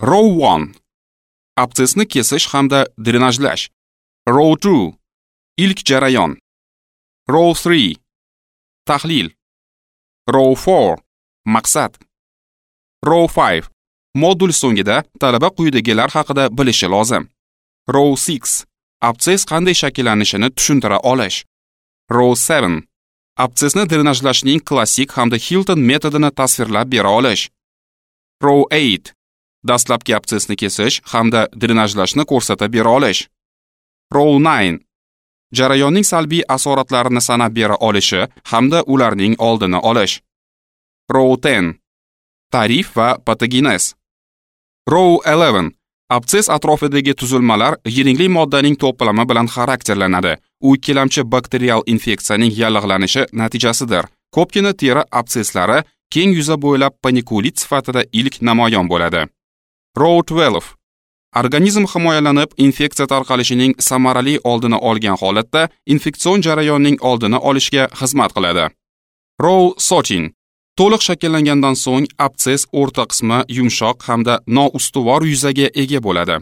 Row 1. Absessni kesish hamda drenajlash. Row 2. Ilk jarayon. Row 3. Tahlil. Row 4. Maqsad. Row 5. Modul so'ngida talaba quyidagilar haqida bilishi lozim. Row 6. Absess qanday shakllanishini tushuntira olish. Row 7. Absessni drenajlashning klassik hamda Hilton metodini tasvirlab bera olish. Row 8. Dastlabki absessni kesish hamda drenajlashni ko'rsatib bera olish. Row 9. Jarayonning salbiy asoratlarini sanab bera olishi hamda ularning oldini olish. Row 10. Ta'rif va patogenez. Row 11. Absess atrofidagi tuzilmalar yiringli moddaning to'plami bilan xarakterlanadi. U ikkilamchi bakterial infeksiyaning yallig'lanishi natijasidir. Ko'pgina teri absesslari keng yuza bo'ylab panikulit sifatida ilk namoyon bo'ladi. Row 12. Organizm himoyalanib, infeksiya tarqalishining samarali oldini olgan holatda infeksion jarayonning oldini olishga xizmat qiladi. Row 13. To'liq shakllangandan so'ng absess o'rta qismi yumshoq hamda noustuvor yuzaga ega bo'ladi.